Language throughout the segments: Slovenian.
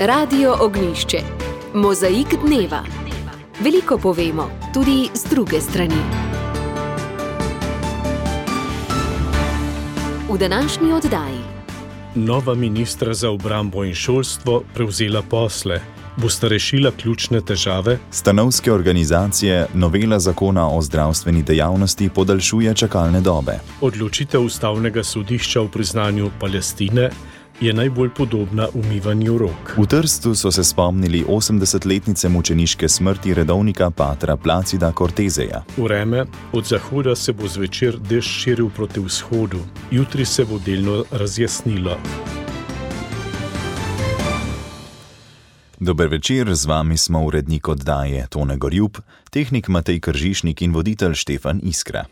Radio Ognjišče. Mozaik dneva. Veliko povemo, tudi z druge strani. V današnji oddaji. Nova ministra za obrambo in šolstvo prevzela posle. Bosta rešila ključne težave? Stanovske organizacije novela zakona o zdravstveni dejavnosti podaljšuje čakalne dobe. Odločitev ustavnega sodišča o priznanju Palestine je najbolj podobna umivanju rok. V Trstu so se spomnili 80-letnice mučeniške smrti redovnika patra Placida Corteseja. Vreme, od zahoda se bo zvečer dež širil proti vzhodu, jutri se bo delno razjasnilo. Dober večer, z vami smo urednik oddaje Tone Gorjup, tehnik Matej Kržišnik in voditelj Štefan Iskra.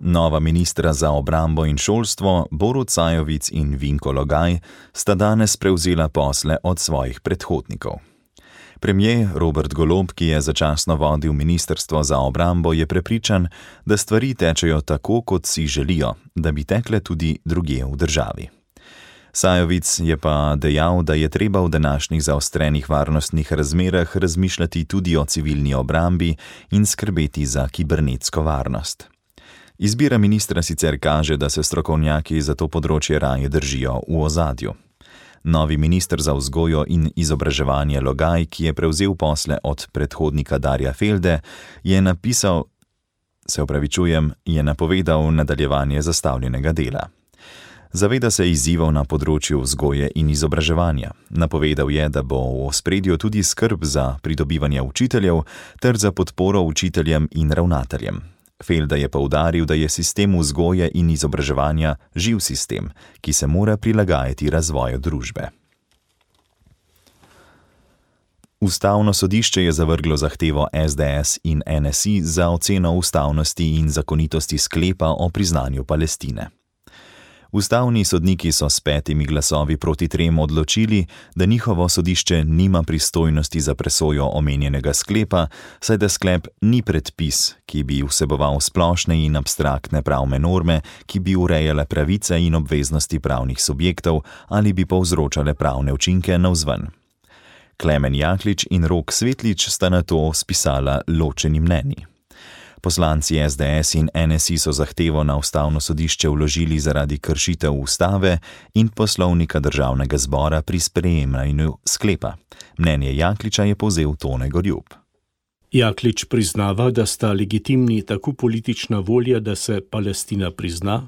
Nova ministra za obrambo in šolstvo, Borut Sajovic in Vinko Logaj, sta danes prevzela posle od svojih predhodnikov. Premier Robert Golob, ki je začasno vodil ministrstvo za obrambo, je prepričan, da stvari tečejo tako, kot si želijo, da bi tekle tudi drugje v državi. Sajovic je pa dejal, da je treba v današnjih zaostrenih varnostnih razmerah razmišljati tudi o civilni obrambi in skrbeti za kibernetsko varnost. Izbira ministra sicer kaže, da se strokovnjaki za to področje raje držijo v ozadju. Novi minister za vzgojo in izobraževanje Logaj, ki je prevzel posle od predhodnika Darja Felde, je napovedal nadaljevanje zastavljenega dela. Zaveda se izzivov na področju vzgoje in izobraževanja. Napovedal je, da bo v ospredju tudi skrb za pridobivanje učiteljev ter za podporo učiteljem in ravnateljem. Felda je poudaril, da je sistem vzgoje in izobraževanja živ sistem, ki se mora prilagajati razvoju družbe. Ustavno sodišče je zavrglo zahtevo SDS in NSI za oceno ustavnosti in zakonitosti sklepa o priznanju Palestine. Ustavni sodniki so s 5 glasovi proti 3 odločili, da njihovo sodišče nima pristojnosti za presojo omenjenega sklepa, saj da sklep ni predpis, ki bi vseboval splošne in abstraktne pravne norme, ki bi urejale pravice in obveznosti pravnih subjektov ali bi povzročale pravne učinke navzven. Klemen Jaklič in Rok Svetlič sta na to spisala ločeni mnenji. Poslanci SDS in NSI so zahtevo na ustavno sodišče vložili zaradi kršitev ustave in poslovnika državnega zbora pri sprejemanju sklepa. Mnenje Jakliča je povzel Tone Gorjup. Jaklič priznava, da sta legitimni tako politična volja, da se Palestina prizna,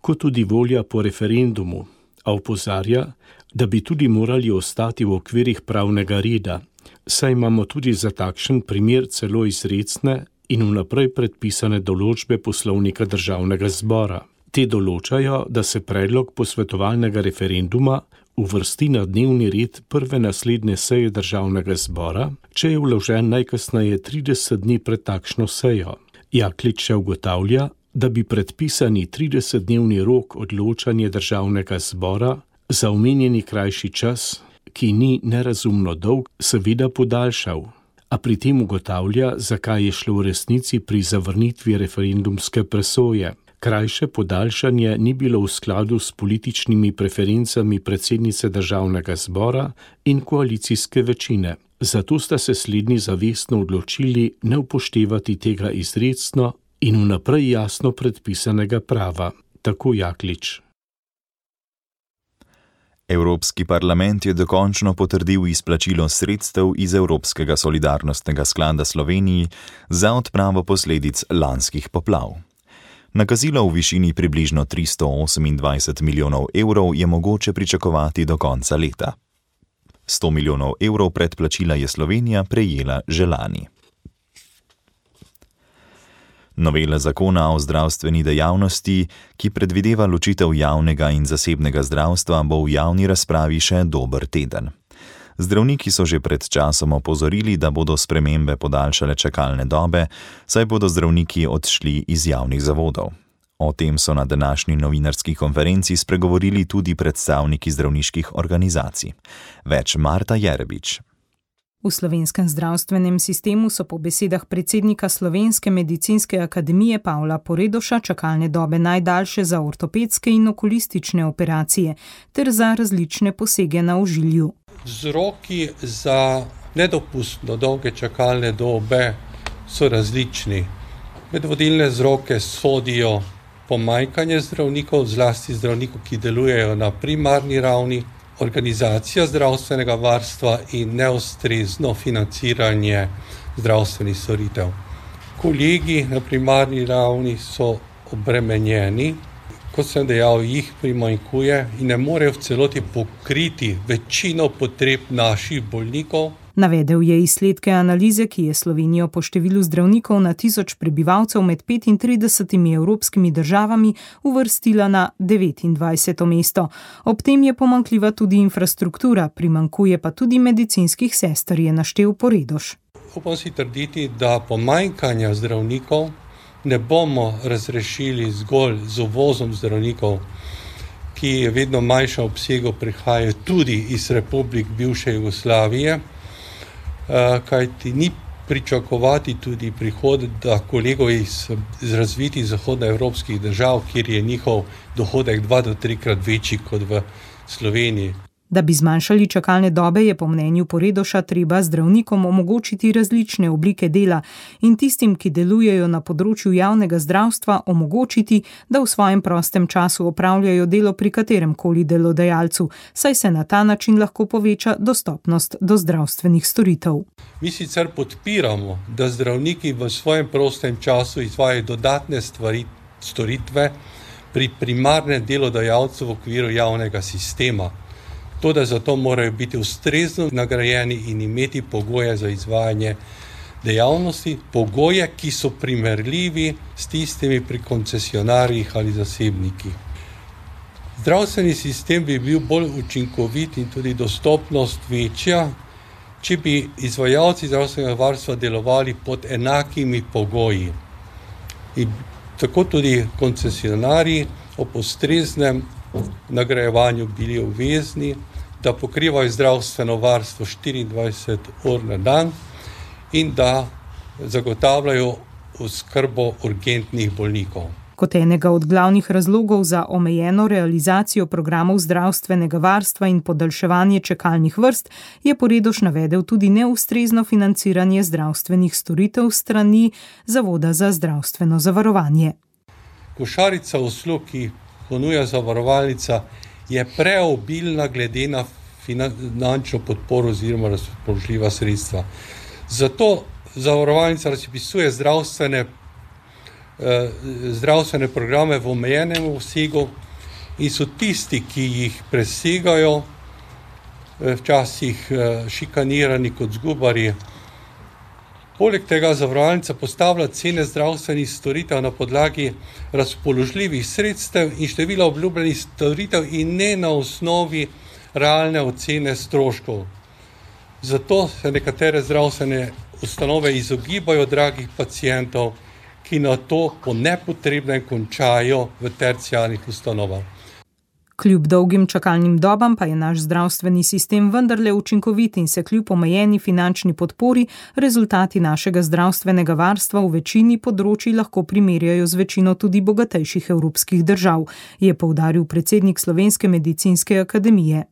kot tudi volja po referendumu, a opozarja, da bi tudi morali ostati v okvirih pravnega reda, saj imamo tudi za takšen primer celo izrecne in vnaprej predpisane določbe poslovnika državnega zbora. Te določajo, da se predlog posvetovalnega referenduma uvrsti na dnevni red prve naslednje seje državnega zbora, če je vložen najkasneje 30 dni pred takšno sejo. Jaklič še ugotavlja, da bi predpisani 30-dnevni rok odločanja državnega zbora za omenjeni krajši čas, ki ni nerazumno dolg, seveda podaljšal. A pri tem ugotavlja, zakaj je šlo v resnici pri zavrnitvi referendumske presoje. Krajše podaljšanje ni bilo v skladu s političnimi preferencami predsednice državnega zbora in koalicijske večine. Zato sta se slednji zavestno odločili ne upoštevati tega izrecno in vnaprej jasno predpisanega prava. Tako Jaklič. Evropski parlament je dokončno potrdil izplačilo sredstev iz Evropskega solidarnostnega sklada Sloveniji za odpravo posledic lanskih poplav. Nakazilo v višini približno 328 milijonov evrov je mogoče pričakovati do konca leta. 100 milijonov evrov predplačila je Slovenija prejela že lani. Novela zakona o zdravstveni dejavnosti, ki predvideva ločitev javnega in zasebnega zdravstva, bo v javni razpravi še dober teden. Zdravniki so že pred časom opozorili, da bodo spremembe podaljšale čakalne dobe, saj bodo zdravniki odšli iz javnih zavodov. O tem so na današnji novinarski konferenci spregovorili tudi predstavniki zdravniških organizacij. Več Marta Jerebič. V slovenskem zdravstvenem sistemu so po besedah predsednika Slovenske medicinske akademije Pavla Poredoša čakalne dobe najdaljše za ortopedske in okulistične operacije ter za različne posege na ožilju. Vzroki za nedopustno dolge čakalne dobe so različni. Med vodilne vzroke sodijo pomanjkanje zdravnikov, zlasti zdravnikov, ki delujejo na primarni ravni, organizacija zdravstvenega varstva in neustrezno financiranje zdravstvenih storitev. Kolegi na primarni ravni so obremenjeni, kot sem dejal, jih primanjkuje in ne morejo v celoti pokriti večino potreb naših bolnikov. Navedel je izsledke analize, ki je Slovenijo po številu zdravnikov na 1000 prebivalcev med 35 evropskimi državami uvrstila na 29. mesto. Ob tem je pomanjkljiva tudi infrastruktura, primanjkuje pa tudi medicinskih sester, je naštel Poredoš. Upam si trditi, da pomanjkanja zdravnikov ne bomo razrešili zgolj z uvozom zdravnikov, ki je vedno manjšem obsegu prihajajo tudi iz republik bivše Jugoslavije, kajti ni pričakovati tudi prihoda kolegov iz razvitih zahodnoevropskih držav, kjer je njihov dohodek 2 do 3-krat večji kot v Sloveniji. Da bi zmanjšali čakalne dobe, je po mnenju Poredoša treba zdravnikom omogočiti različne oblike dela in tistim, ki delujejo na področju javnega zdravstva, omogočiti, da v svojem prostem času opravljajo delo pri kateremkoli delodajalcu, saj se na ta način lahko poveča dostopnost do zdravstvenih storitev. Mi sicer podpiramo, da zdravniki v svojem prostem času izvajajo dodatne storitve pri primarnem delodajalcu v okviru javnega sistema. Toda zato morajo biti ustrezno nagrajeni in imeti pogoje za izvajanje dejavnosti, pogoje, ki so primerljivi s tistimi pri koncesionarjih ali zasebnikih. Zdravstveni sistem bi bil bolj učinkovit in tudi dostopnost večja, če bi izvajalci zdravstvenega varstva delovali pod enakimi pogoji. In tako tudi koncesionarji ob ustreznem nagrajevanju bili obvezni, da pokrivajo zdravstveno varstvo 24 ur na dan in da zagotavljajo oskrbo urgentnih bolnikov. Kot enega od glavnih razlogov za omejeno realizacijo programov zdravstvenega varstva in podaljševanje čakalnih vrst je Poredoš navedel tudi neustrezno financiranje zdravstvenih storitev strani Zavoda za zdravstveno zavarovanje. Košarica uslug, ki ponuja zavarovalnica, je preobilna glede na finančno podporo oziroma razpoložljiva sredstva. Zato zavarovalnica razpisuje zdravstvene programe v omejenem obsegu in so tisti, ki jih presegajo, včasih šikanirani kot zgubarji. Poleg tega zavarovalnica postavlja cene zdravstvenih storitev na podlagi razpoložljivih sredstev in števila obljubljenih storitev in ne na osnovi realne ocene stroškov. Zato se nekatere zdravstvene ustanove izogibajo dragih pacientov, ki na to po nepotrebnem končajo v terciarnih ustanovah. Kljub dolgim čakalnim dobam pa je naš zdravstveni sistem vendarle učinkovit in se kljub omejeni finančni podpori rezultati našega zdravstvenega varstva v večini področij lahko primerjajo z večino tudi bogatejših evropskih držav, je poudaril predsednik Slovenske medicinske akademije.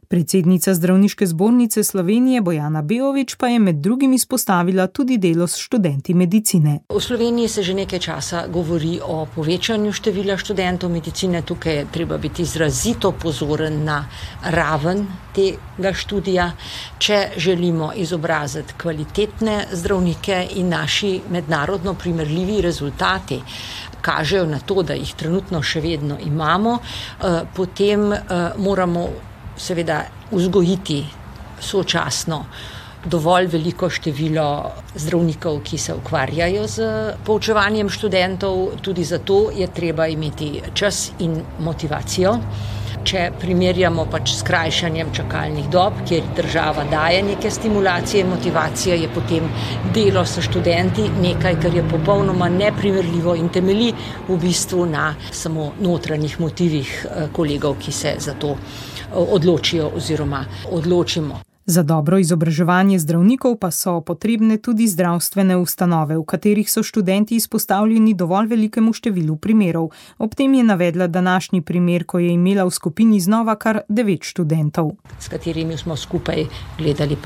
Predsednica Zdravniške zbornice Slovenije Bojana Beović pa je med drugim izpostavila tudi delo s študenti medicine. V Sloveniji se že nekaj časa govori o povečanju števila študentov medicine. Tukaj je treba biti izrazito pozoren na raven tega študija. Če želimo izobraziti kvalitetne zdravnike in naši mednarodno primerljivi rezultati kažejo na to, da jih trenutno še vedno imamo, potem moramo seveda vzgojiti sočasno dovolj veliko število zdravnikov, ki se ukvarjajo z poučevanjem študentov. Tudi zato je treba imeti čas in motivacijo. Če primerjamo s skrajšanjem čakalnih dob, kjer država daje neke stimulacije in motivacije, je potem delo s študenti nekaj, kar je popolnoma neprimerljivo in temelji v bistvu na samo notranjih motivih kolegov, ki se za to odločijo oziroma odločimo. Za dobro izobraževanje zdravnikov pa so potrebne tudi zdravstvene ustanove, v katerih so študenti izpostavljeni dovolj velikemu številu primerov. Ob tem je navedla današnji primer, ko je imela v skupini znova kar 9 študentov. S katerimi smo skupaj gledali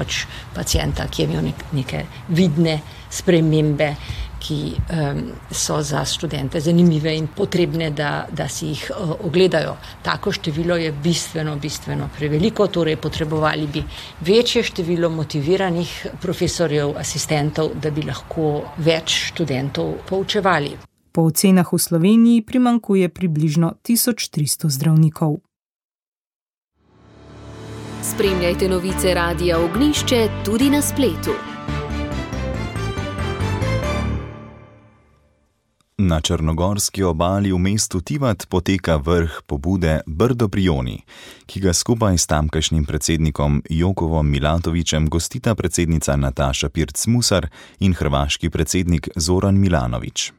pacienta, ki je imel neke vidne spremembe, ki so za študente zanimive in potrebne, da si jih ogledajo. Tako število je bistveno preveliko, torej potrebovali bi večje število motiviranih profesorjev, asistentov, da bi lahko več študentov poučevali. Po ocenah v Sloveniji primanjkuje približno 1300 zdravnikov. Spremljajte novice Radia Ognjišče tudi na spletu. Na črnogorski obali v mestu Tivat poteka vrh pobude Brdo pri Joni, ki ga skupaj s tamkajšnjim predsednikom Jokovom Milatovićem gostita predsednica Nataša Pirc-Musar in hrvaški predsednik Zoran Milanović.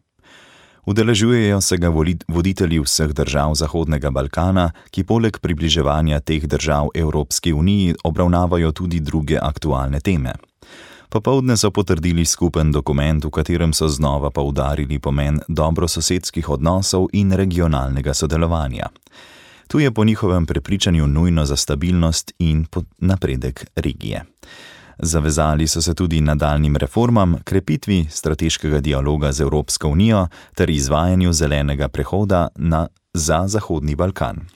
Udeležujejo se ga voditelji vseh držav Zahodnega Balkana, ki poleg približevanja teh držav Evropski uniji obravnavajo tudi druge aktualne teme. Popoldne so potrdili skupen dokument, v katerem so znova poudarili pomen dobrososedskih odnosov in regionalnega sodelovanja. Tu je po njihovem prepričanju nujno za stabilnost in napredek regije. Zavezali so se tudi nadaljnjim reformam, krepitvi strateškega dialoga z Evropsko unijo ter izvajanju zelenega prehoda za Zahodni Balkan.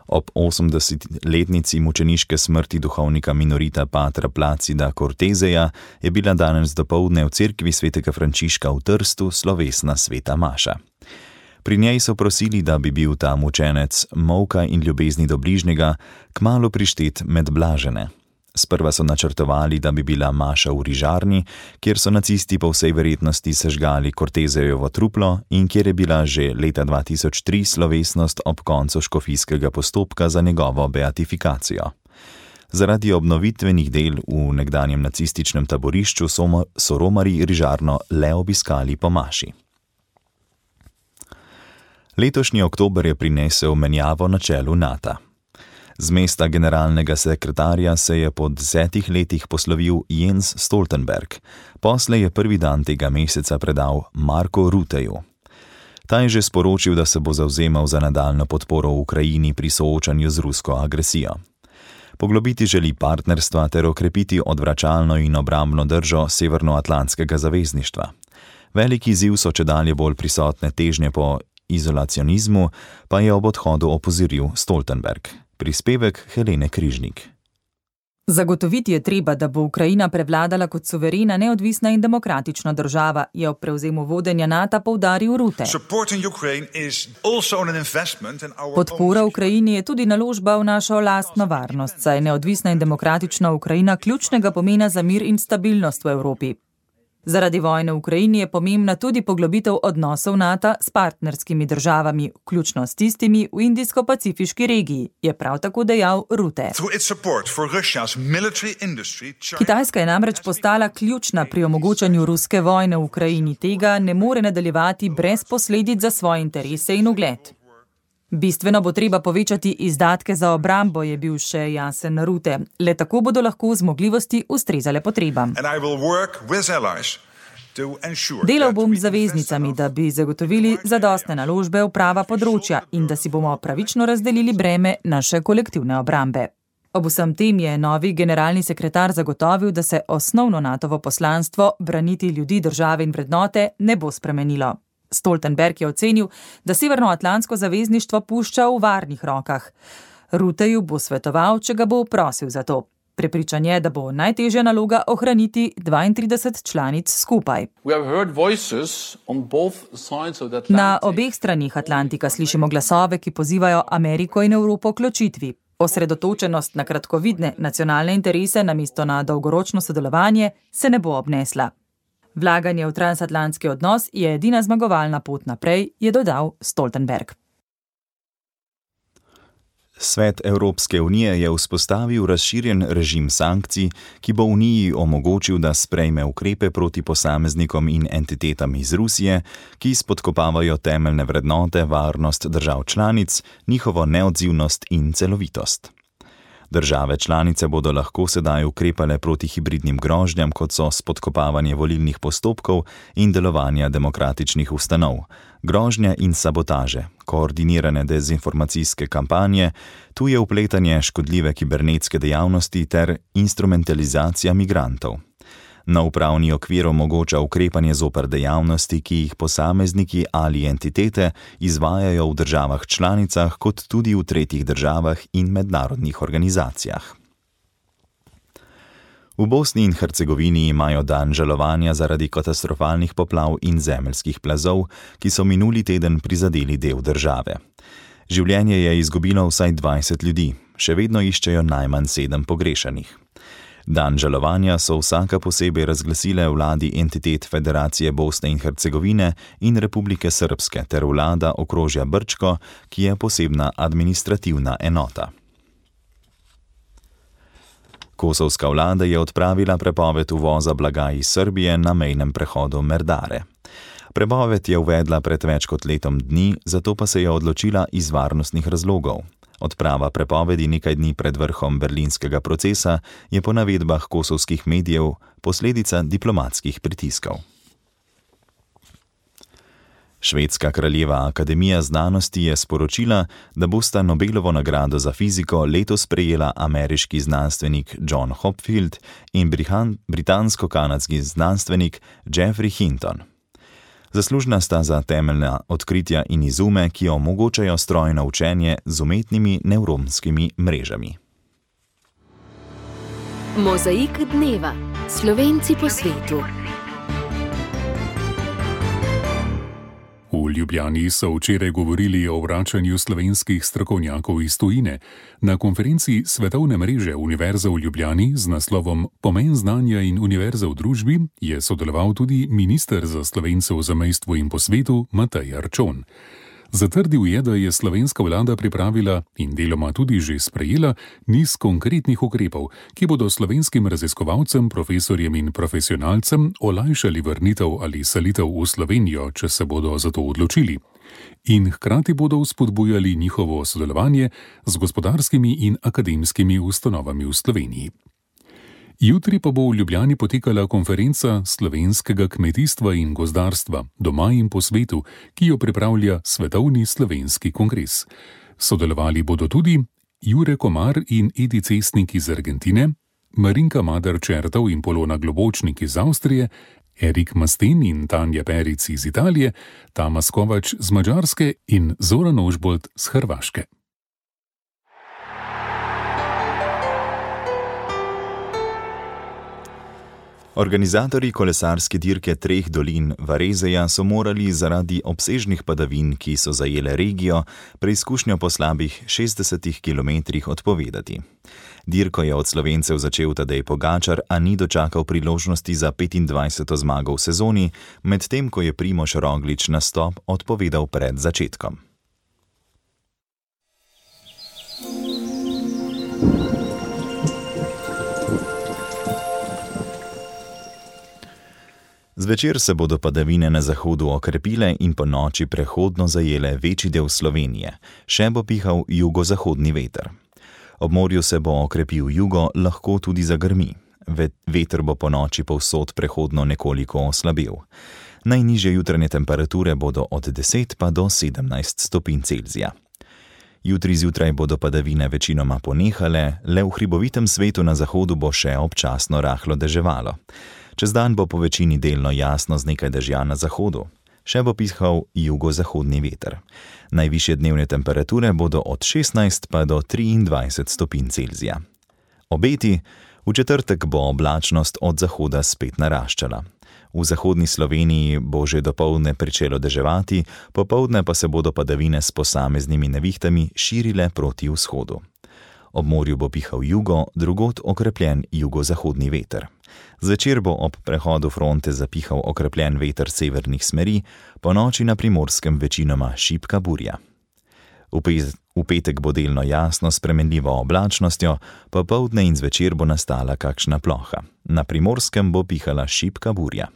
Ob 80-letnici mučeniške smrti duhovnika minorita patra Placida Corteseja je bila danes dopoldne v cerkvi svetega Frančiška v Trstu slovesna sveta maša. Pri njej so prosili, da bi bil ta mučenec molka in ljubezni do bližnjega kmalu prištet med blažene. Sprva so načrtovali, da bi bila maša v Rižarni, kjer so nacisti po vsej verjetnosti sežgali Cortesejevo truplo in kjer je bila že leta 2003 slovesnost ob koncu škofijskega postopka za njegovo beatifikacijo. Zaradi obnovitvenih del v nekdanjem nacističnem taborišču so romarji Rižarno le obiskali po maši. Letošnji oktober je prinesel menjavo na čelu NATO. Z mesta generalnega sekretarja se je po 10 letih poslovil Jens Stoltenberg. Poslej je prvi dan tega meseca predal Marku Rutteju. Ta je že sporočil, da se bo zavzemal za nadaljnjo podporo Ukrajini pri soočanju z rusko agresijo. Poglobiti želi partnerstva ter okrepiti odvračalno in obrambno držo Severnoatlantskega zavezništva. Veliki izziv so čedalje bolj prisotne težnje po izolacionizmu, pa je ob odhodu opozoril Stoltenberg. Prispevek Helene Križnik. Zagotoviti je treba, da bo Ukrajina prevladala kot suverena, neodvisna in demokratična država, je ob prevzemu vodenja NATO poudaril Rutte. Podpora Ukrajini je tudi naložba v našo lastno varnost, saj je neodvisna in demokratična Ukrajina ključnega pomena za mir in stabilnost v Evropi. Zaradi vojne v Ukrajini je pomembna tudi poglobitev odnosov NATO s partnerskimi državami, vključno s tistimi v Indijsko-pacifiški regiji, je prav tako dejal Rutte. Kitajska je namreč postala ključna pri omogočanju ruske vojne v Ukrajini. Tega ne more nadaljevati brez posledic za svoje interese in ugled. Bistveno bo treba povečati izdatke za obrambo, je bil še jasen Rutte. Le tako bodo lahko zmogljivosti ustrezale potrebam. Delal bom z zaveznicami, da bi zagotovili zadostne naložbe v prava področja in da si bomo pravično razdelili breme naše kolektivne obrambe. Ob vsem tem je novi generalni sekretar zagotovil, da se osnovno NATOvo poslanstvo braniti ljudi, države in vrednote ne bo spremenilo. Stoltenberg je ocenil, da Severnoatlantsko zavezništvo pušča v varnih rokah. Rutteju bo svetoval, če ga bo prosil za to. Prepričan je, da bo najtežja naloga ohraniti 32 članic skupaj. Na obeh stranih Atlantika slišimo glasove, ki pozivajo Ameriko in Evropo k ločitvi. Osredotočenost na kratkovidne nacionalne interese namesto na dolgoročno sodelovanje se ne bo obnesla. Vlaganje v transatlantski odnos je edina zmagovalna pot naprej, je dodal Stoltenberg. Svet Evropske unije je vzpostavil razširjen režim sankcij, ki bo Uniji omogočil, da sprejme ukrepe proti posameznikom in entitetam iz Rusije, ki spodkopavajo temeljne vrednote, varnost držav članic, njihovo neodzivnost in celovitost. Države članice bodo lahko sedaj ukrepale proti hibridnim grožnjam, kot so spodkopavanje volilnih postopkov in delovanja demokratičnih ustanov, grožnje in sabotaže, koordinirane dezinformacijske kampanje, tuje vpletanje, škodljive kibernetske dejavnosti ter instrumentalizacija migrantov. Nov pravni okvir omogoča ukrepanje zoper dejavnosti, ki jih posamezniki ali entitete izvajajo v državah članicah, kot tudi v tretjih državah in mednarodnih organizacijah. V Bosni in Hercegovini imajo dan žalovanja zaradi katastrofalnih poplav in zemeljskih plazov, ki so minuli teden prizadeli del države. Življenje je izgubilo vsaj 20 ljudi, še vedno iščejo najmanj 7 pogrešanih. Dan žalovanja so vsaka posebej razglasile vladi entitet Federacije Bosne in Hercegovine in Republike Srpske ter vlada okrožja Brčko, ki je posebna administrativna enota. Kosovska vlada je odpravila prepoved uvoza blaga iz Srbije na mejnem prehodu Merdare. Prepoved je uvedla pred več kot letom dni, zato pa se je odločila iz varnostnih razlogov. Odprava prepovedi nekaj dni pred vrhom berlinskega procesa je po navedbah kosovskih medijev posledica diplomatskih pritiskov. Švedska kraljeva akademija znanosti je sporočila, da bosta Nobelovo nagrado za fiziko letos prejela ameriški znanstvenik John Hopfield in britansko-kanadski znanstvenik Geoffrey Hinton. Zaslužna sta za temeljna odkritja in izume, ki omogočajo strojno učenje z umetnimi nevronskimi mrežami. Mozaik dneva. Slovenci po svetu. V Ljubljani so včeraj govorili o vračanju slovenskih strokovnjakov iz tujine. Na konferenci Svetovne mreže Univerze v Ljubljani z naslovom Pomen znanja in univerze v družbi je sodeloval tudi minister za Slovence v zamejstvu in po svetu Matej Arčon. Zatrdil je, da je slovenska vlada pripravila in deloma tudi že sprejela niz konkretnih ukrepov, ki bodo slovenskim raziskovalcem, profesorjem in profesionalcem olajšali vrnitev ali selitev v Slovenijo, če se bodo za to odločili. In hkrati bodo vzpodbujali njihovo sodelovanje z gospodarskimi in akademskimi ustanovami v Sloveniji. Jutri pa bo v Ljubljani potekala konferenca slovenskega kmetijstva in gozdarstva doma in po svetu, ki jo pripravlja Svetovni slovenski kongres. Sodelovali bodo tudi Jure Komar in Edi Cestnik iz Argentine, Marinka Madar-Čertov in Polona Globočnik iz Avstrije, Erik Masten in Tanja Peric iz Italije, Tamas Kovač z Madžarske in Zoran Ožbolt z Hrvaške. Organizatorji kolesarske dirke Treh dolin Varezeja so morali zaradi obsežnih padavin, ki so zajele regijo, preizkušnjo po slabih 60 kilometrih odpovedati. Dirko je od Slovencev začel Tadej Pogačar, a ni dočakal priložnosti za 25. zmago v sezoni, medtem ko je Primož Roglič nastop odpovedal pred začetkom. Zvečer se bodo padavine na zahodu okrepile in po noči prehodno zajele večji del Slovenije, še bo pihal jugozahodni veter. Ob morju se bo okrepil jugo, lahko tudi zagrmi. Veter bo po noči povsod prehodno nekoliko oslabil. Najnižje jutranje temperature bodo od 10 pa do 17 stopinj Celzija. Jutri zjutraj bodo padavine večinoma ponehale, le v hribovitem svetu na zahodu bo še občasno rahlo deževalo. Čez dan bo po večini delno jasno z nekaj dežja na zahodu. Še bo pihal jugozahodni veter. Najvišje dnevne temperature bodo od 16 pa do 23 stopinj Celzija. Obeti: v četrtek bo oblačnost od zahoda spet naraščala. V zahodni Sloveniji bo že dopoldne pričelo deževati, popoldne pa se bodo padavine s posameznimi nevihtami širile proti vzhodu. Ob morju bo pihal jugo, drugod okrepljen jugozahodni veter. Zvečer bo ob prehodu fronte zapihal okrepljen veter severnih smeri, po noči na Primorskem večinoma šibka burja. V petek bo delno jasno s spremenljivo oblačnostjo, popoldne in zvečer bo nastala kakšna ploha. Na Primorskem bo pihala šibka burja.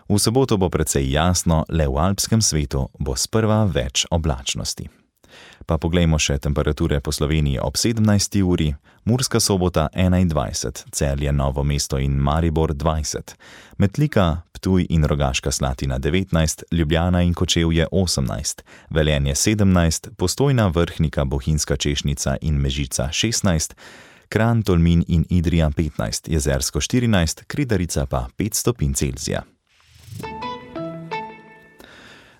V soboto bo precej jasno, le v alpskem svetu bo sprva več oblačnosti. Pa poglejmo še temperature po Sloveniji ob 17. uri, Murska Sobota 21, Celje, Novo mesto in Maribor 20, Metlika, Ptuj in Rogaška Slatina 19, Ljubljana in Kočevje 18, Velenje 17, Postojna, Vrhnika, Bohinjska Češnica in Mežica 16, Kranj, Tolmin in Idrija 15, Jezersko 14, Kridarica pa 5 stopinj Celzija.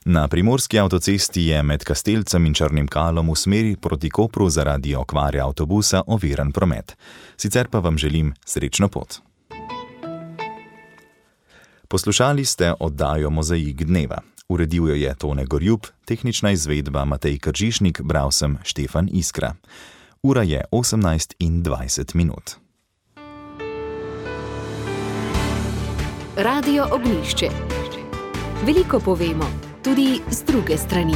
Na primorski avtocesti je med Kastelcem in Črnim Kalom v smeri proti Kopru zaradi okvare avtobusa oviran promet. Sicer pa vam želim srečno pot. Poslušali ste oddajo Mozaik dneva. Uredil jo je Tone Gorjub, tehnična izvedba Matej Kržišnik, bral sem Štefan Iskra. Ura je 18:20. Radio Ognjišče. Veliko povemo, tudi z druge strani.